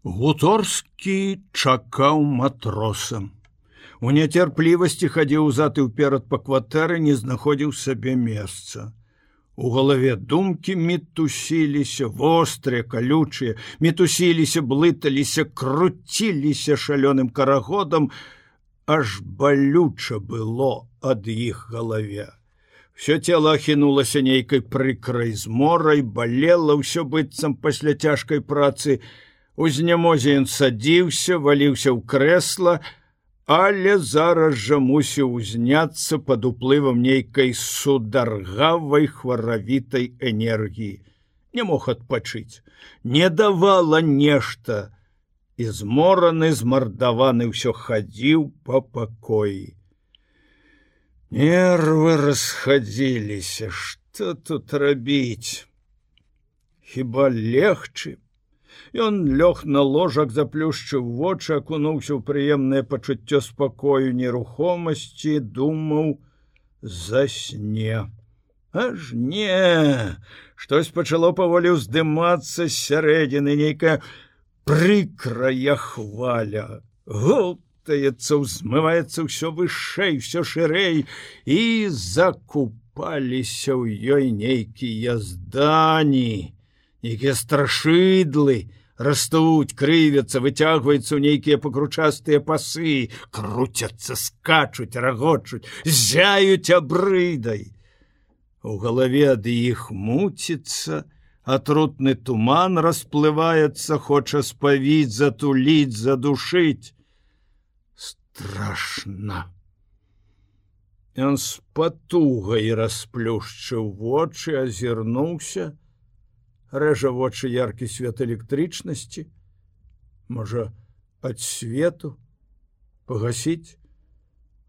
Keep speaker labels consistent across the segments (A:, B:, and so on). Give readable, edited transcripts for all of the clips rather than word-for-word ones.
A: Гуторскі чакаў матроса. У няцярплівасці хадзіў узад і ўперад па кватэры, не знаходзіў сабе месца. У галаве думкі мітусіліся, вострыя, калючыя, мітусіліся, блыталіся, круціліся шалёным карагодам, аж балюча было ад іх галаве. Всё цела ахінулася нейкай прыкрай зморай, балела ўсё быццам пасля цяжкай працы. У знямозе ён садзіўся, валіўся ў крэсла, але зараз жа мусіў узняцца пад уплывам нейкай сударгавай хваравітай энергіі. Не мог адпачыць, не давала нешта, і змораны, змардаваны ўсё хадзіў па пакоі. Нервы расхадзіліся, што тут рабіць? Хіба легчы? Ён лёг на ложак, заплюшчыў вочы, акунуўся ў прыемнае пачуццё спакою, нерухомасці, думаў, засне. Аж не, штось пачало паволі ўздымацца з сярэдзіны, нейкая прыкрая хваля. Гултаецца, ўзмываецца ўсё вышэй, усё шырэй, і закупаліся ў ёй нейкія здані, нейкія страшыдлы, растуць, крывяцца, выцягваюцца ў нейкія пакручастыя пасы, круцяцца, скачуць, рагочуць, зяюць абрыдай. У галаве ад іх муціцца, атрутны туман расплываецца, хоча спавіць, затуліць, задушыць. Страшна. Ён з патугай расплюшчыў вочы, азірнуўся. Рэжа вочы яркі свет электрычнасці. Можа, ад свету пагасіць?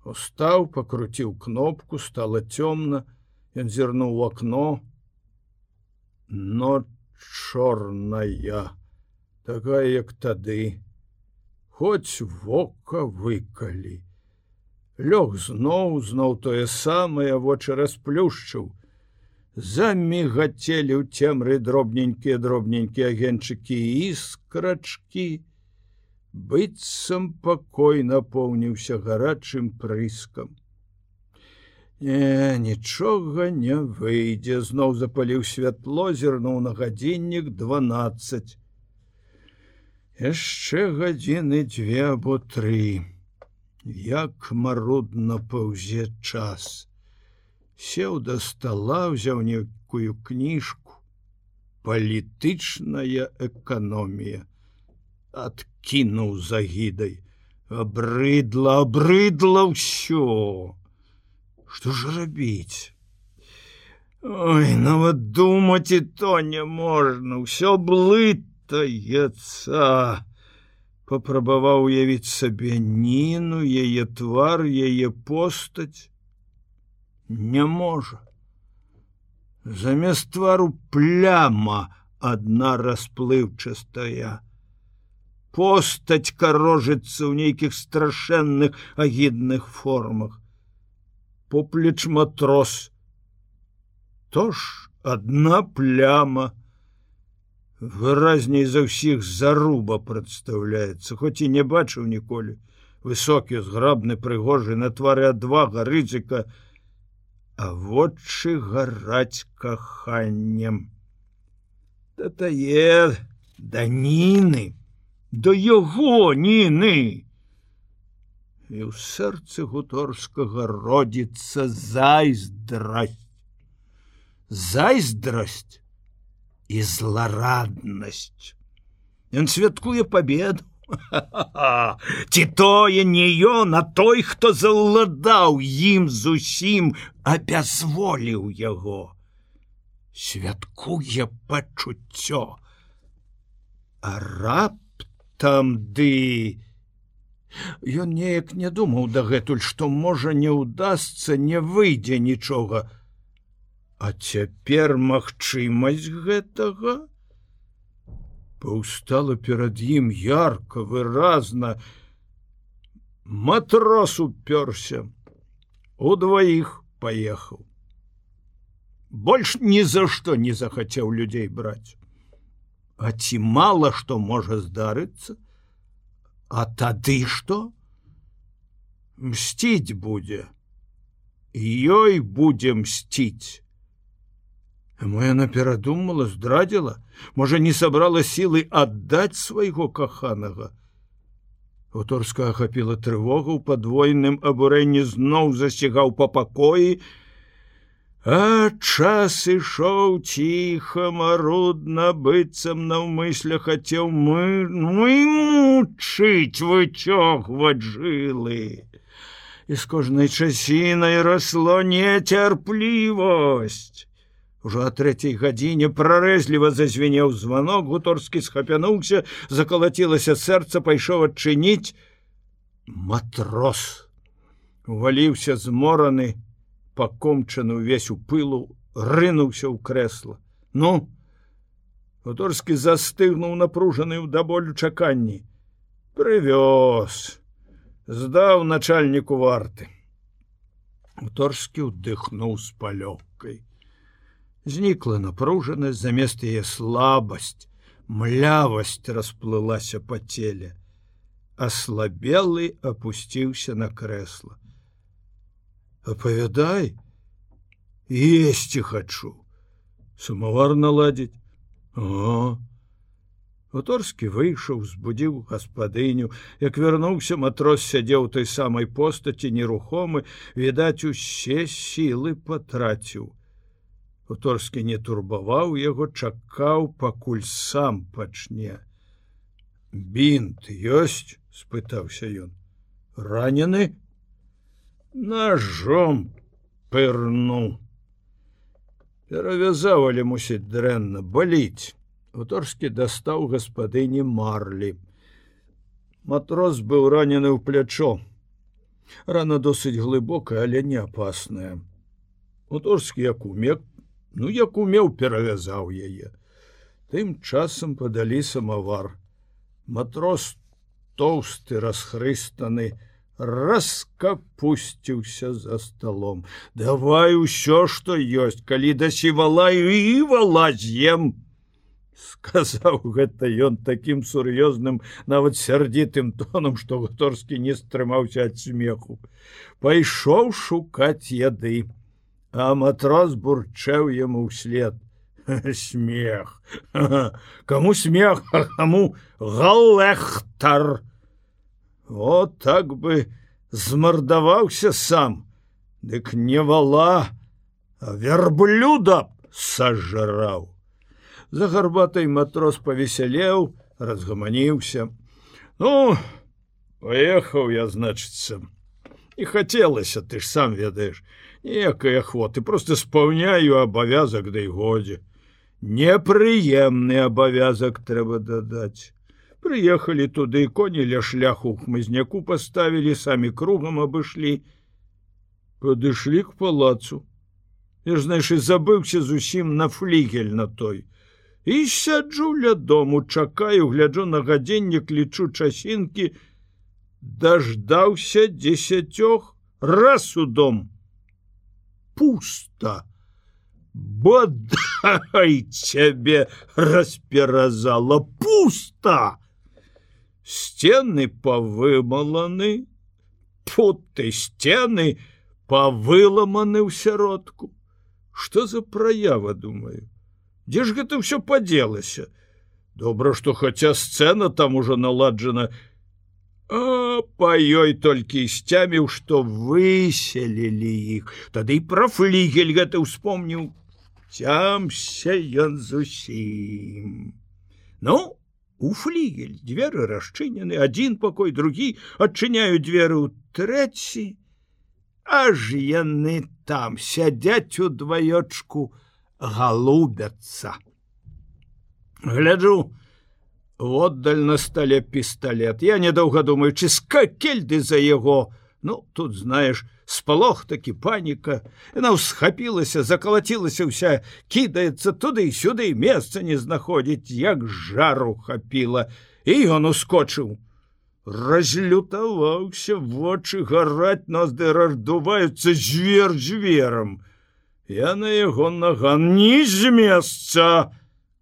A: Устаў, пакруціў кнопку, стала цёмна. Ён зірнуў у акно. Ноч чорная, такая, як тады. Хоць вока выкалі. Лёг зноў тое самае, вочы расплюшчыў. Замігацелі ў цемры дробненькія агеньчыкі і іскрачкі. Быццам пакой напоўніўся гарачым прыскам. Нічога не выйдзе. Зноў запаліў святло, зірнуў на гадзіннік 12. Яшчэ гадзіны 2 або 3. Як марудна паўзе час. Сеў да стала, ўзяў нейкую кніжку. Палітычная эканомія. Адкінуў з агідай. Абрыдла ўсё. Што ж рабіць? Ой, нават думаць і то не можна, ўсё блытаецца. Папрабаваў уявіць сабе Ніну, яе твар, яе постаць. Не можа. Замест твару пляма адна расплыўчастая. Постаць карожыцца ў нейкіх страшэнных агідных формах. Поплеч матрос. Тож адна пляма. Выразней за ўсіх заруба прадстаўляецца, хоць і не бачыў ніколі. Высокі, зграбны, прыгожы, на твары адвага, рызыка, а вочы гараць каханнем. Да тае, да Ніны, да яго Ніны. І ў сэрцы Гуторскага родзіцца зайздрасць. Зайздрасць і злараднасць. Ён святкуе пабеду. Ці тое не ён, а той, хто заўладаў ім зусім, абязволіў яго. Святкуе пачуццё. А раптам ды... Ён неяк не думаў дагэтуль, што можа не ўдасца, не выйдзе нічога. А цяпер магчымасць гэтага паўстала перад ім ярка, выразна. Матрос упёрся. Удваіх паехаў. Больш ні за што не захацеў людзей браць. А ці мала што можа здарыцца? А тады што? Мсціць будзе. Ёй будзе мсціць. Мо яна перадумала, здрадзіла? Можа, не сабрала сілы аддаць свайго каханага? Хуторская ахапіла трывога, у падвойным абурэнні зноў засцігаў па пакоі, а час ішоў ціха, марудна, быццам наўмысля хацеў мучыць, выцёгваць жылы. І з кожнай часінай расло нецярплівасць. Ужо о 3:00 гадзіне прарэзліва зазвенеў званок, Гуторскі схапянуўся, закалацілася сэрца, пайшоў адчыніць. Матрос уваліўся змораны, пакомчаны ўвесь у пылу, рынуўся ў крэсла. Ну, Гуторскі застыгнуў напружаны ў да болю чаканні. Прывёз, здаў начальніку варты. Гуторскі ўдыхнуў з палёгкай. Знікла напружанасць, замест яе слабасць, млявасць расплылася па целе. Аслабелы апусціўся на крэсла. Апавядай, есці хачу. Самавар наладзіць. О! Гуторскі выйшаў, збудзіў гаспадыню. Як вярнуўся, матрос сядзеў той самай постаці, нерухомы, відаць, усе сілы патраціў. Гуторскі не турбаваў яго, чакаў, пакуль сам пачне. Бінт ёсць? — спытаўся ён. Ранены? Ножом пырнуў. Перавязаў, але мусіць дрэнна, баліць. Гуторскі дастаў гаспадыні марлі. Матрос быў ранены ў плячо. Рана досыць глыбокая, але не апасная. Гуторскі як умеў, перавязаў яе. Тым часам падалі самавар. Матрос, тоўсты, расхрыстаны, раскапусціўся за сталом. Давай усё, што ёсць, калі дасі валаю, і вала з'ем. Сказаў гэта ён такім сур'ёзным, нават сярдзітым тонам, што Гуторскі не стрымаўся ад смеху. Пайшоў шукаць яды. А матрос бурчэў яму ўслед. Смех. Каму смех, а каму галэхтар. О, так бы змардаваўся сам. Дык не вала, а вярблюда сажраў. За гарбатай матрос павесялеў, разгаманіўся. Ну, паехаў я, значыцца. І хацелася, ты ж сам ведаеш. Ніякай ахвоты, просто спаўняю абавязак, да і годзе. Непрыемны абавязак трэба дадаць. Прыехалі туды, коні ля шляху ў хмызняку паставілі, самі кругам абышлі. Падышлі к палацу. Я ж, знаеш, і забыўся зусім на флігель на той. І сяджу ля дому, чакаю, гляджу на гадзіннік, лічу часінкі. Даждаўся 10, раз у дом. Пусто. Бодай цябе расперазала. Пусто. Сцены павымаланы, путы сцены павыламаны ў сяродку. Што за праява, думаю? Дзе ж гэта ўсё падзелася? Добра, што хаця сцэна там ужо наладжана. А па ёй толькі сцяміў, што выселілі іх. Тады і пра флігель гэта ўспомніў. Цямся ён зусім. Ну, у флігель дзверы расчынены, адзін пакой, другі, адчыняю дзверы ў трэці. Аж яны там сядзяць удваёчку, галубяцца. Гляджу, воддаль на стале пісталет. Я, недоўга думаючы, скакельды за яго. Ну, тут, знаеш, спалох такі, паніка. Яна ўсхапілася, закалацілася ўся, кідаецца туды і сюды, месца не знаходзіць, як жару хапіла. І ён ускочыў. Разлютаваўся, вочы гараць, ноздры раздуваюцца, звер зверам. Я на яго наган, не з месца,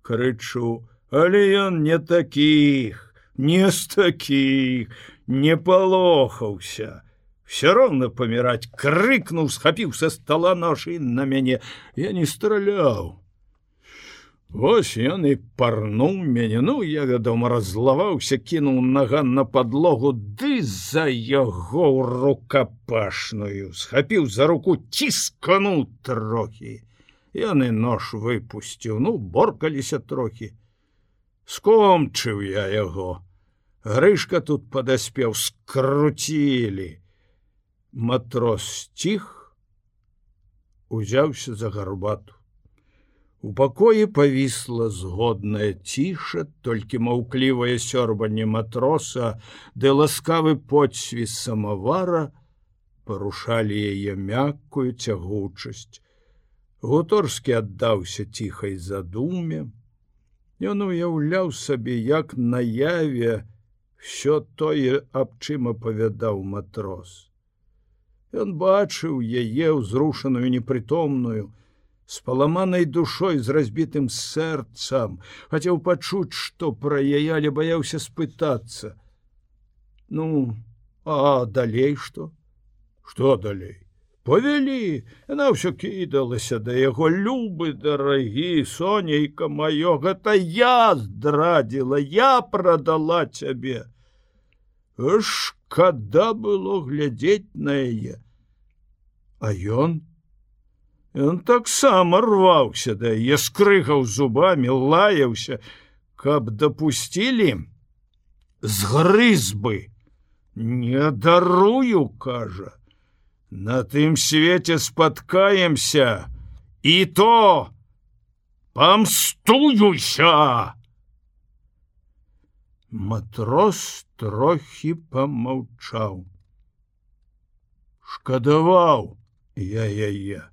A: крычу. Але ён не такіх, не з такіх, не палохаўся. Все роўна паміраць, крыкнуў, схапіў са стола нож і на мяне. Я не страляў. Вось ён і парнуў мяне. Ну, я, вядома, раззлаваўся, кінуў наган на падлогу, ды за яго ў рукапашную. Схапіў за руку, ціскануў трохі. Ён і нож выпусціў, ну, боркаліся трохі. Скончыў я яго. Грышка тут падаспеў, скруцілі. Матрос сціх, узяўся за гарбату. У пакоі павісла згодная ціша, толькі маўклівае сёрбанне матроса ды ласкавы подсвіст самавара парушалі яе мяккую цягучасць. Гуторскі аддаўся ціхай задуме. Ён уяўляў сабе, як наяве всё тое, аб чым апавядаў матрос. Ён бачыў яе ўзрушаную непрытомную, з паламанай душой, з разбітым сэрцам, хацеў пачуць, што пра яе, але баяўся спытацца. Ну, а далей што? Што далей? Павялі, яна ўсё кідалася да яго. Любы, дарагі, сонейка маё, гэта я здрадзіла, я прадала цябе. Шкада было глядзець на яе. А ён? Ён таксама рваўся да яе, скрыгаў зубамі, лаяўся, каб дапусцілі, згрыз бы. Не дарую, кажа. На тым свеце спаткаемся, і то памстуюся. Матрос трохі памаўчаў. Шкадаваў я яе.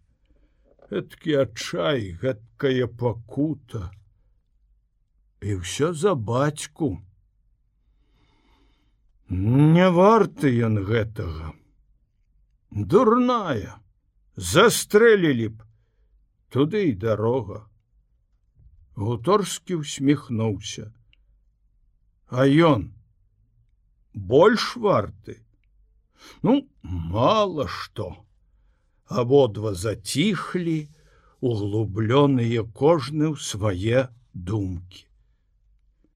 A: Гэткі адчай, гэткая пакута. І ўсё за бацьку. Не варты ён гэтага. Дурная. Застрэлілі б. Туды і дарога. Гуторскі усміхнуўся. А ён больш варты? Ну, мала што. Абодва заціхлі, углубленыя кожны ў свае думкі.